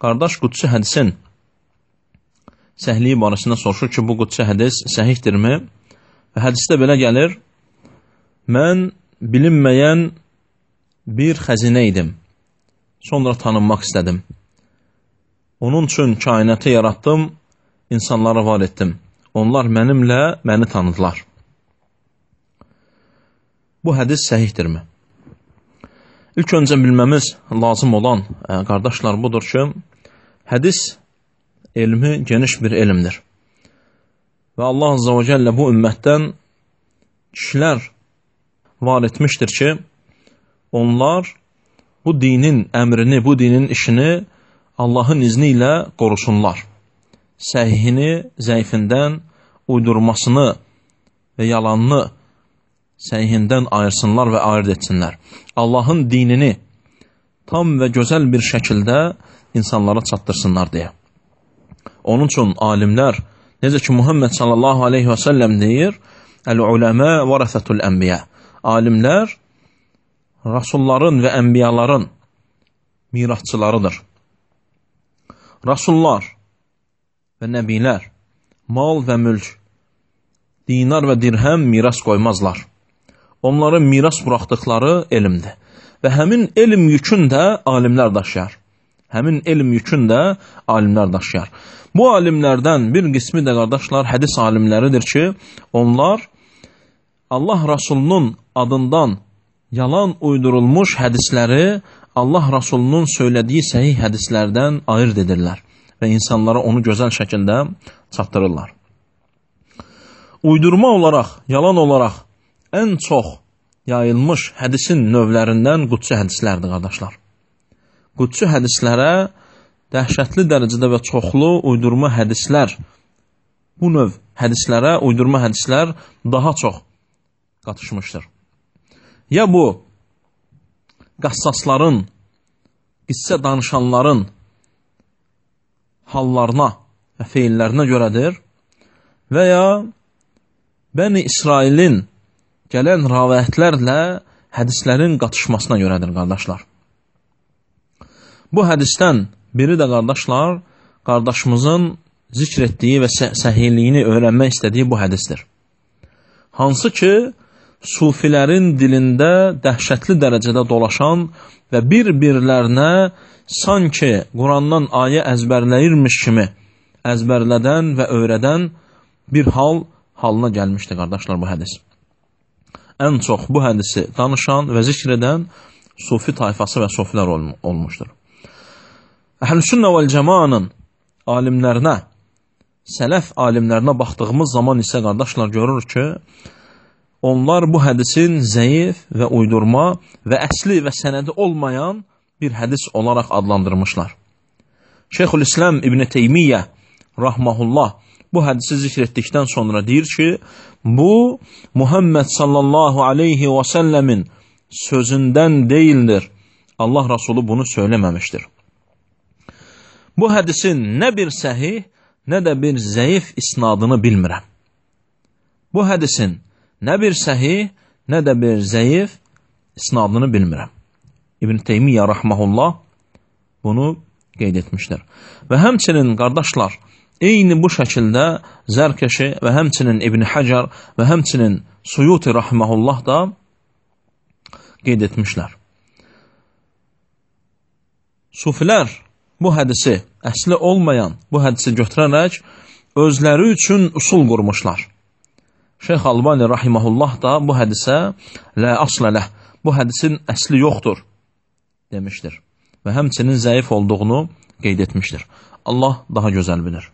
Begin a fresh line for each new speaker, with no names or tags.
qardaş qudsi hədisin səhliyi barəsində soruşur ki, bu qudsi hədis səhihdirmi? Və hədisdə belə gəlir, mən bilinməyən bir xəzinə idim, sonra tanınmaq istədim. Onun üçün kainatı yaratdım, insanları var etdim. Onlar məni tanıdılar. Bu hədis səhihdirmi? İlk öncə bilməmiz lazım olan, qardaşlar, budur ki, hədis elmi geniş bir elmdir. Və Allah Azza və Cəllə bu ümmətdən kişilər var etmişdir ki, onlar bu dinin əmrini, bu dinin işini Allahın izni ilə qorusunlar. Səhihini, zəifindən, uydurmasını və yalanını səhihindən ayırsınlar və ayırt etsinlər. Allahın dinini tam və gözəl bir şəkildə insanlara çatdırsınlar deyə. Onun üçün alimlər, necə ki Muhammed sallallahu aleyhi və səlləm deyir, Əl-uləmə vərəsətul ənbiyə. Alimlər rasulların və ənbiyaların mirasçılarıdır. Rasullar və nəbilər mal və mülk, dinar və dirhəm miras qoymazlar. Onların miras buraxdıqları elmdir. Və həmin elm yükün də alimlər daşıyar. Həmin elm yükün də alimlər daşıyar. Bu alimlərdən bir qismi də qardaşlar hədis alimləridir ki, onlar Allah Rasulunun adından yalan uydurulmuş hədisləri Allah Rasulunun söylediyi səhih hədislərdən ayırt edirlər və insanlara onu gözəl şəkildə çatdırırlar. Uydurma olaraq, yalan olaraq ən çox yayılmış hədisin növlərindən qudsi hədislərdir, qardaşlar. Qudsi hədislərə dəhşətli dərəcədə və çoxlu uydurma hədislər, bu növ hədislərə uydurma hədislər daha çox qatışmışdır. Ya bu, qassasların, qissə danışanların hallarına və feillərinə görədir və ya Bəni İsrailin gələn rəvayətlərlə hədislərin qatışmasına görədir, qardaşlar. Bu hədisdən biri də, qardaşlar, qardaşımızın zikr etdiyi və səhihliyini öyrənmək istədiyi bu hədisdir. Hansı ki, sufilərin dilində dəhşətli dərəcədə dolaşan və bir-birlərinə sanki Qurandan ayə əzbərləyirmiş kimi əzbərlədən və öyrədən bir halına gəlmişdir, qardaşlar, bu hədis. Ən çox bu hədisi danışan və zikr edən sufi tayfası və sufilər olmuşdur. Əhl-Sünnə vəl-Cəmaanın alimlərinə, sələf alimlərinə baxdığımız zaman isə, qardaşlar, görürük ki, onlar bu hədisin zəif və uydurma və əsli və sənədi olmayan bir hədis olaraq adlandırmışlar. Şeyxülislam İbn Teymiyyə rahmehullah bu hədisi zikr etdikdən sonra deyir ki, bu Muhammed sallallahu aleyhi və səlləmin sözündən deyildir. Allah Rasulü bunu söyləməmişdir. Bu hədisin nə bir səhih, nə də bir zəif isnadını bilmirəm. Bu hədisin nə bir səhih, nə də bir zəif isnadını bilmirəm. İbn Teymiyyə rahmehullah bunu qeyd etmişdir. Və həmçinin, qardaşlar, eyni bu şəkildə Zərkeşi və həmçinin İbn Hacar və həmçinin Suyuti rahmehullah da qeyd etmişlər. Sufilər bu hədisi, əsli olmayan bu hədisi götürərək özləri üçün usul qurmuşlar. Şeyx Albani rahimehullah da bu hədisə la asla ləh, bu hədisin əsli yoxdur demişdir və həmçinin zəif olduğunu qeyd etmişdir. Allah daha gözəl bilir.